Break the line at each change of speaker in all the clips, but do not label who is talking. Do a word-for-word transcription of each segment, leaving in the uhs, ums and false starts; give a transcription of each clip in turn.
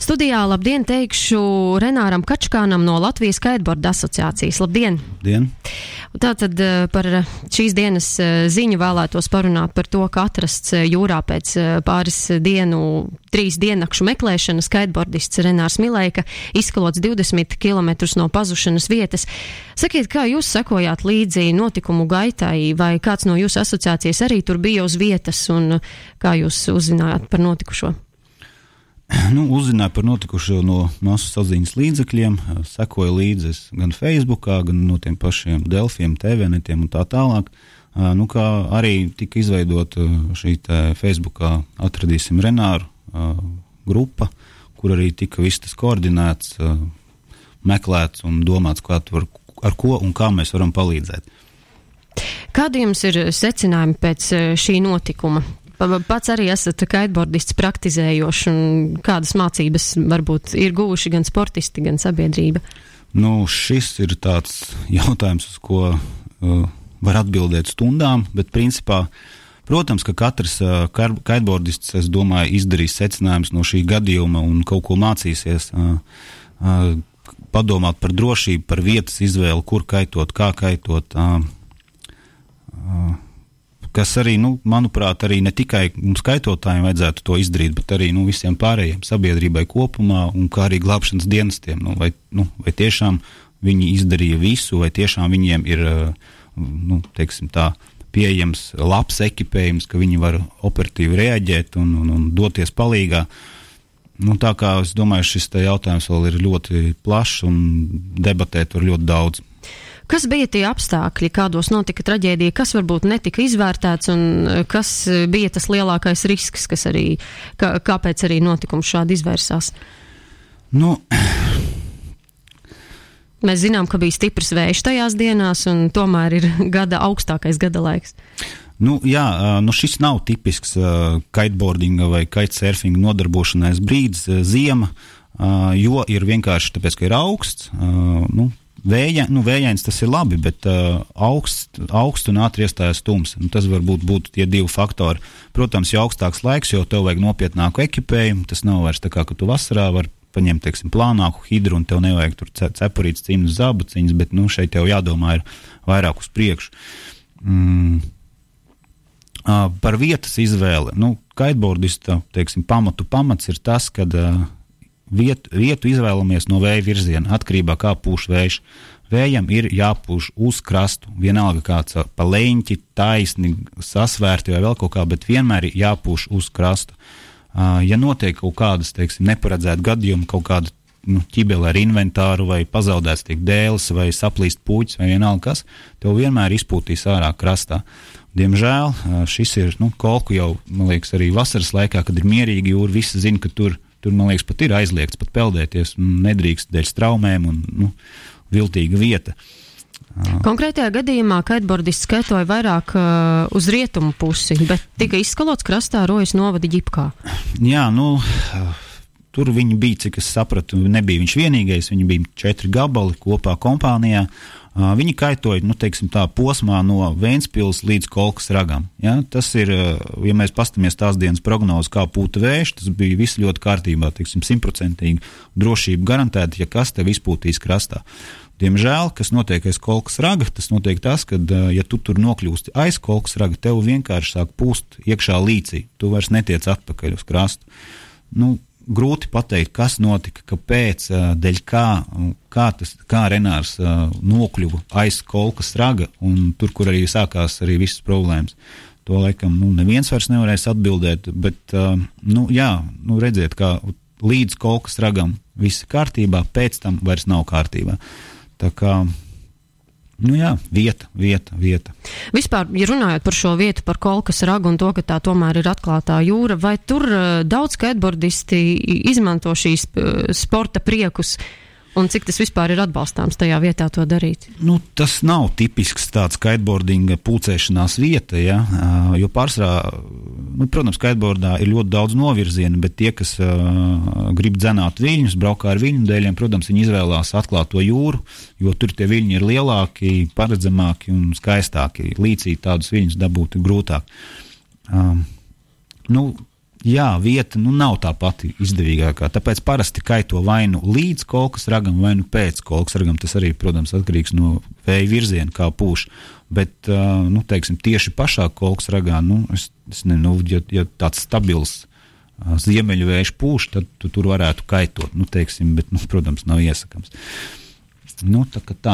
Studijā labdien teikšu Renāram Kačkānam no Latvijas Kiteboarda asociācijas. Labdien!
Labdien!
Tātad par šīs dienas ziņu vēlētos parunāt par to, ka atrasts jūrā pēc pāris dienu, trīs diennakšu meklēšanas kiteboardists Renārs Milejka izskalots divdesmit kilometrus no pazušanas vietas. Sakiet, kā jūs sekojāt līdzi notikumu gaitai, vai kāds no jūsu asociācijas arī tur bija uz vietas, un kā jūs uzzinājāt par notikušo?
Nu, uzzināju par notikušo no masu saziņas līdzekļiem, sekoju līdzi gan Facebookā, gan no tiem pašiem Delfiem, T V netiem un tā tālāk. Nu, kā arī tika izveidota šī te Facebookā atradīsim Renāru grupa, kur arī tika viss tas koordinēts, meklēts un domāts, kā tur, ar ko un kā mēs varam palīdzēt.
Kādi jums ir secinājumi pēc šī notikuma? Pats arī esat kiteboardists praktizējoši, un kādas mācības varbūt ir guvuši gan sportisti, gan sabiedrība?
Nu, šis ir tāds jautājums, uz ko uh, var atbildēt stundām, bet principā, protams, ka katrs uh, kiteboardists, es domāju, izdarīs secinājumus no šī gadījuma un kaut ko mācīsies, uh, uh, padomāt par drošību, par vietas izvēli, kur kaitot, kā kaitot, uh, uh, kas arī, nu, manuprāt, arī ne tikai mums kaitotājiem vajadzētu to izdarīt, bet arī, nu, visiem pārējiem sabiedrībai kopumā un kā arī glābšanas dienestiem. Nu, vai, nu, vai tiešām viņi izdarīja visu, vai tiešām viņiem ir, nu, teiksim tā, pieejams labs ekipējums, ka viņi var operatīvi reaģēt un, un, un doties palīgā. Nu, tā kā es domāju, šis te jautājums vēl ir ļoti plašs un debatēt var ļoti daudz.
Kas bija tie apstākļi, kādos notika traģēdija, kas varbūt netika izvērtēts un kas bija tas lielākais risks, kas arī, kā, kāpēc arī notikums šādi izvērsās?
Nu,
Mēs zinām, ka bija stiprs vējš tajās dienās un tomēr ir gada augstākais gada laiks.
Nu, jā, nu šis nav tipisks uh, kiteboardinga vai kitesurfinga nodarbošanās brīdis, uh, ziema, uh, jo ir vienkārši tāpēc, ka ir augsts, uh, nu, Vēja, nu, vējains tas ir labi, bet uh, augst, augst un ātri iestājas tums. Un tas varbūt būtu tie divi faktori. Protams, jo augstāks laiks, jo tev vajag nopietnāku ekipējumu. Tas nav vairs tā kā, ka tu vasarā var paņemt, teiksim, plānāku hidru un tev nevajag tur cepurītas, cimdus, zābaciņas, bet, nu, šeit tev jādomā ir vairāk uz priekšu. Mm. Uh, par vietas izvēli. Nu, kiteboardista, teiksim, pamatu pamats ir tas, kad uh, Vietu, vietu izvēlamies no vēja virziena, atkarībā kā pūš vējš. Vējam ir jāpūš uz krastu, vienalga kāds pa leņķi, taisni, sasvērti vai vēl kaut kā, bet vienmēr ir jāpūš uz krastu. Uh, ja notiek kaut kādas, teiksim, neparedzēta gadījuma, kaut kāda nu, ķibele ar inventāru vai pazaudēts tiek dēles vai saplīst puķis vai vienalga kas, tev vienmēr izpūtīs ārā krastā. Diemžēl šis ir, nu, kolku jau, man liekas, arī vasaras laikā, kad ir mierīgi jūra, visi zina, ka tur Tur, man liekas, pat ir aizliegts pat peldēties, nedrīkst dēļ straumēm un, nu, viltīga vieta.
Konkrētajā gadījumā kiteboardists skaitoja vairāk uh, uz rietumu pusi, bet tika izskalots krastā Rojas novada ģipkā. Jā,
nu, tur viņi bija, cik es sapratu, nebija viņš vienīgais, viņi bija četri gabali kopā kompānijā. Uh, viņi kaitoja, nu, teiksim tā, posmā no Ventspils līdz Kolkas ragam. Ja? Tas ir, uh, ja mēs pastamies tās dienas prognozi, kā pūta vējš, tas bija viss ļoti kārtībā, teiksim, simtprocentīgi drošība garantēta, ja kas tev izpūtīs krastā. Diemžēl, kas notiek aiz Kolkas raga, tas notiek tas, ka, uh, ja tu tur nokļūsti aiz Kolkas raga, tev vienkārši sāk pūst iekšā līcī, tu vairs netiec atpakaļ uz krastu. Nu, grūti pateikt, kas notika, kāpēc, dēļ kā, kā, tas, kā Renārs nokļuva aiz Kolkas raga, un tur, kur arī sākās arī visas problēmas. To laikam, nu, neviens vairs nevarēs atbildēt, bet, nu, jā, nu, redziet, kā līdz Kolkas ragam viss kārtībā, pēc tam vairs nav kārtībā. Tā kā, nu jā, vieta, vieta, vieta.
Vispār, ja runājot par šo vietu, par Kolkas ragu un to, ka tā tomēr ir atklātā jūra, vai tur uh, daudz kiteboardisti izmanto šīs uh, sporta priekus un cik tas vispār ir atbalstāms tajā vietā to darīt?
Nu, tas nav tipisks tāds kiteboardinga pulcēšanās vieta, ja, uh, jo pārsvarā, nu, protams, kiteboardā ir ļoti daudz novirzienu, bet tie, kas uh, grib dzenāt viļņus, braukā ar viļņu dēļiem, protams, viņi izvēlās atklāto jūru, jo tur tie viļņi ir lielāki, paredzamāki un skaistāki. Līdzī tādus viļņus dabūt ir grūtāk. Um, nu, jā, vieta nu, nav tā pati izdevīgākā. Tāpēc parasti kaito vai nu līdz kolkas ragam, vai nu pēc kolkas ragam. Tas arī, protams, atkarīgs no vēja virziena, kā pūš. Bet, uh, nu, teiksim, tieši pašā kolkas ragā, nu, es, es nezinu, ja, ja tāds stabils uh, ziemeļu vējš pūš, tad tu tur varētu kaitot, nu, teiksim, bet, nu, protams, nav iesakams. Nu, tā kā tā.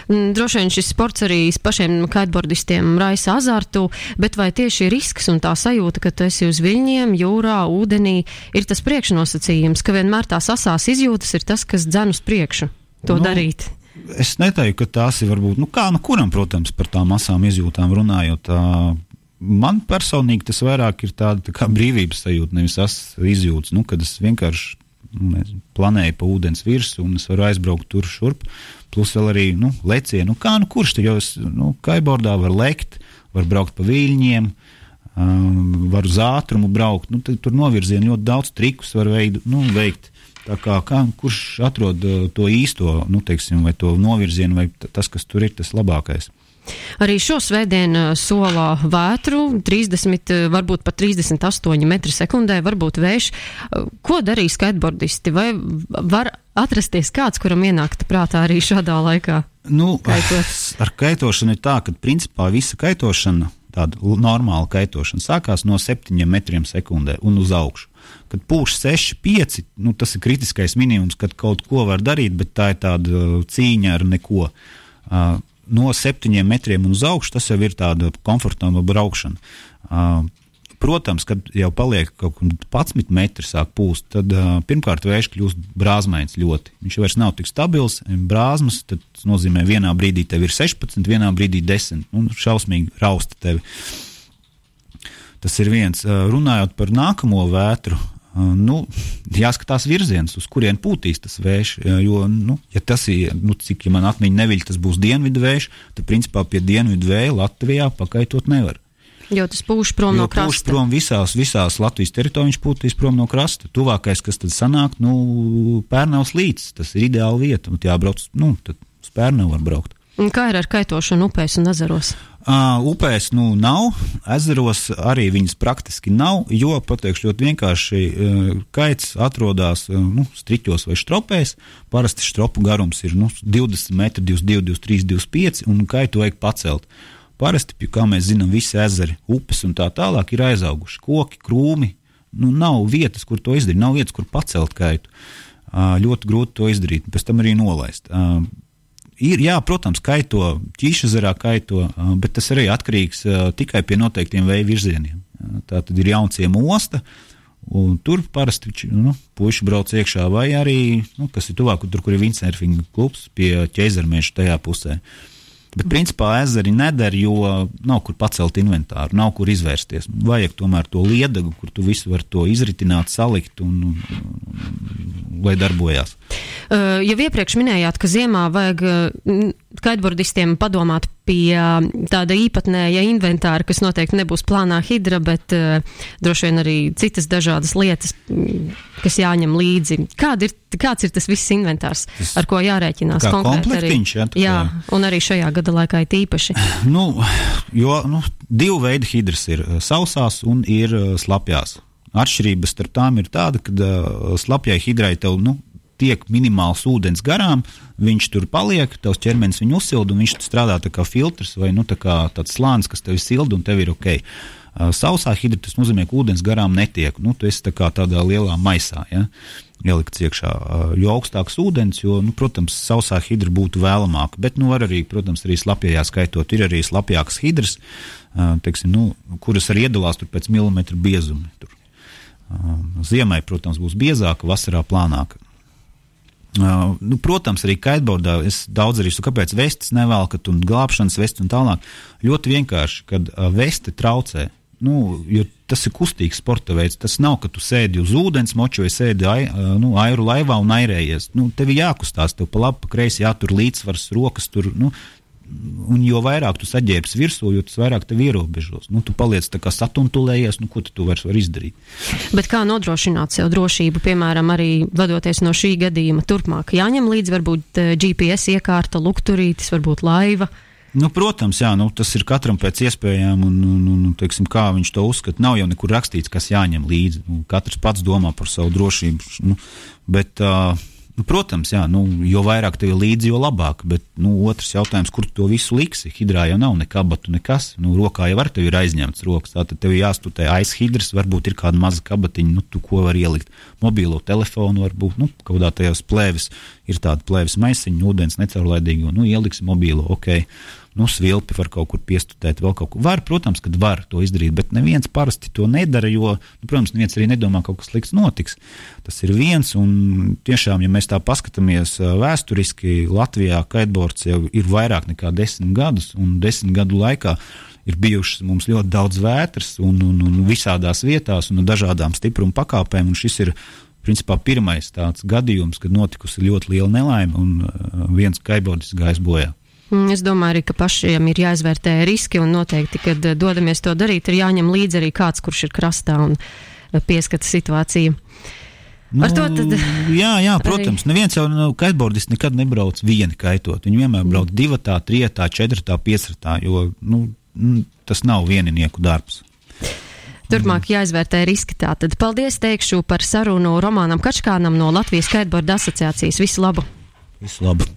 Droši vien šis sports arī pašiem kitebordistiem raisa azartu, bet vai tieši risks un tā sajūta, ka tu esi uz viļņiem, jūrā, ūdenī, ir tas priekšnosacījums, ka vienmēr tās asās izjūtas ir tas, kas dzen uz priekšu to
nu,
darīt?
Es neteiktu, ka tās ir varbūt, nu kā, nu kuram, protams, par tām asām izjūtām runājot, tā, man personīgi tas vairāk ir tāda tā kā brīvības sajūta, nevis asas izjūtas, nu, kad es vienkārši nezinu, planēju pa ūdens virsu un es varu aizbraukt tur šurp, plus vēl arī, nu, lecienu, nu, kā, nu, kurš tur jau es, nu, kiteboardā var lekt, var braukt pa viļņiem, um, var uz ātrumu braukt, nu, tur novirzienu ļoti daudz trikus var veidu, nu, veikt, tā kā, kā, kurš atrod uh, to īsto, nu, teiksim, vai to novirzienu, vai t- tas, kas tur ir, tas labākais.
Arī šo svētdienu solā vētru, trīsdesmit, varbūt pat trīsdesmit astoņi metri sekundē, varbūt vējš. Ko darīs kiteboardisti? Vai var atrasties kāds, kuram ienākta prātā arī šādā laikā?
Nu,
kaitot?
Ar kaitošanu ir tā, ka principā visa kaitošana, tāda normāla kaitošana, sākās no septiņiem metriem sekundē un uz augšu. Kad pūš seši, pieci, nu, tas ir kritiskais minimums, kad kaut ko var darīt, bet tā ir tāda cīņa ar neko. Uh, No septiņiem metriem un uz augšu, tas jau ir tāda komfortabla braukšana. Uh, protams, kad jau paliek kaut kur padsmit metri sāk pūst, tad uh, pirmkārt vējš kļūst brāzmains ļoti. Viņš vairs nav tik stabils, brāzmas, tad tas nozīmē vienā brīdī tev ir sešpadsmit, vienā brīdī desmit, un šausmīgi rausta tevi. Tas ir viens. Uh, runājot par nākamo vētru, Uh, nu, jāskatās virziens, uz kurien pūtīs tas vējš, jo, nu, ja tas ir, nu, cik, ja man atmiņa neviļ, tas būs dienvidu vējš, tad, principā, pie dienvidu vēja Latvijā pakaitot nevar.
Jo tas pūš prom
jo
no krasta.
Pūš prom visās, visās Latvijas teritorijās, viņš pūtīs prom no krasta. Tuvākais, kas tad sanāk, nu, Pērnavas līcis, tas ir ideāla vieta, un jābrauc, nu, tad uz Pērnavu var braukt.
Un kā ir ar kaitošanu upēs un ezeros?
Uh, upēs nu nav, ezeros arī viņas praktiski nav, jo, pateikšu ļoti vienkārši, uh, kaits atrodas uh, nu, striķos vai štropēs, parasti štropu garums ir nu, divdesmit metri, divdesmit divi, divdesmit trīs, divdesmit pieci, un kaitu vajag pacelt. Parasti, kā mēs zinām, visi ezeri, upes un tā tālāk ir aizauguši, koki, krūmi, nu nav vietas, kur to izdarīt, nav vietas, kur pacelt kaitu. Uh, ļoti grūti to izdarīt, pēc tam arī nolaist. Uh, Ir, jā, protams, kaito, Ķīšezerā kaito, bet tas arī atkarīgs uh, tikai pie noteiktiem vēja virzieniem. Tā tad ir Jaunciema osta, un tur parasti nu, puiši brauc iekšā, vai arī, nu, kas ir tuvāk, tur, kur ir windsurfinga klubs, pie Ķeizermieša tajā pusē. Bet, principā, ezeri neder, jo nav kur pacelt inventāru, nav kur izvērsties. Vajag tomēr to liedagu, kur tu visu var to izritināt, salikt un, un, un lai darbojās.
Uh, jau iepriekš minējāt, ka ziemā vajag uh, kiteboardistiem padomāt pie uh, tāda īpatnēja inventāra, kas noteikti nebūs plānā hidra, bet uh, droši vien arī citas dažādas lietas, kas jāņem līdzi. Kād ir, kāds ir tas viss inventārs, tas, ar ko jārēķinās konkrēti arī?
Jā,
jā, un arī šajā gada laikā ir tīpaši.
Nu, jo, nu, divu veidu hidras ir sausās un ir slapjās. Atšķirības starp tām ir tāda, ka uh, slapjai hidrai tev, nu, tiek minimāls ūdens garām, viņš tur paliek, tavs ķermenis viņu uzsilda un viņš strādā tā kā filtrs vai nu, tā kā tāds slānis, kas tevi silda un tev ir ok. Uh, sausā hidra tas nozīmē, ka ūdens garām netiek. Nu, tu esi tā kā tādā lielā maisā, ja, ielikts iekšā. Uh, jo augstāks ūdens, jo, nu, protams, sausā hidra būtu vēlamāka, bet, nu, var arī, protams, arī slapjajā skaitot. Ir arī slapjākas hidras, uh, teiksim, nu, kuras arī iedalās tur pēc milimetru biezumi. Tur. Uh, ziemai, protams, būs biezāka, vasarā plānāka. Uh, nu, protams, arī kiteboardā es daudz arī, kāpēc vestes nevelkat un glābšanas vestes un tālāk. Ļoti vienkārši, kad uh, veste traucē, nu, jo tas ir kustīgs sporta veids, tas nav, ka tu sēdi uz ūdens moču vai sēdi ai, uh, nu, airu laivā un airējies. Nu, tevi jākustās, tev pa labi, pa kreisi jātur līdzsvars, rokas tur, nu, un jo vairāk tu saģērbs virsū, jo tas vairāk tev ierobežos. Nu, tu paliec tā kā satuntulējies, nu, ko tu, tu vairs var izdarīt.
Bet kā nodrošināt sev drošību, piemēram, arī vadoties no šī gadījuma turpmāk? Jāņem līdzi varbūt G P S iekārta, lukturītis, varbūt laiva?
Nu, protams, jā, nu, tas ir katram pēc iespējām, un, un, un teiksim, kā viņš to uzskata. Nav jau nekur rakstīts, kas jāņem līdzi. Nu, katrs pats domā par savu drošību. Nu, bet, uh, nu, protams, jā, nu, jo vairāk tev ir līdzi, jo labāk. Bet nu, otrs jautājums, kur tu to visu liksi? Hidrā jau nav ne kabatu, nekas. Nu, rokā jau var tev ir aizņemts rokas. Tātad tev jāstutē aiz hidras, varbūt ir kāda maza kabatiņa, nu, tu ko var ielikt. Mobīlo telefonu varbūt, nu, kaudā tajās plēvis ir tāda plēvis maisiņa, ūdens necaurlaidīga, nu, ieliksi mobīlo, ok. Nu, svilpi var kaut kur piestutēt, vēl kaut kur. Var, protams, kad var to izdarīt, bet neviens parasti to nedara, jo, nu, protams, neviens arī nedomā, kaut kas slikts notiks. Tas ir viens, un tiešām, ja mēs tā paskatāmies vēsturiski, Latvijā kiteboards jau ir vairāk nekā desmit gadus, un desmit gadu laikā ir bijušas mums ļoti daudz vētras, un, un, un visādās vietās, un dažādām stipruma pakāpēm, un šis ir principā pirmais tāds gadījums, kad notikusi ļoti liela nelaime, un viens kiteboardists gājis bojā.
Es domāju arī, ka pašiem ir jāizvērtē riski un noteikti, kad dodamies to darīt, ir jāņem līdzi arī kāds, kurš ir krastā un pieskata situāciju.
Nu,
Ar to tad...
Jā, jā, protams. Arī... Neviens jau nu, kiteboardists nekad nebrauc vieni kaitot. Viņi vienmēr brauc divatā, trietā, četratā, piecratā, jo nu, tas nav vieninieku darbs.
Turpmāk jāizvērtē riski tātad. Paldies teikšu par sarunu Romānam Kačkānam no Latvijas Kiteboarda asociācijas. Visu labu!
Visu labu!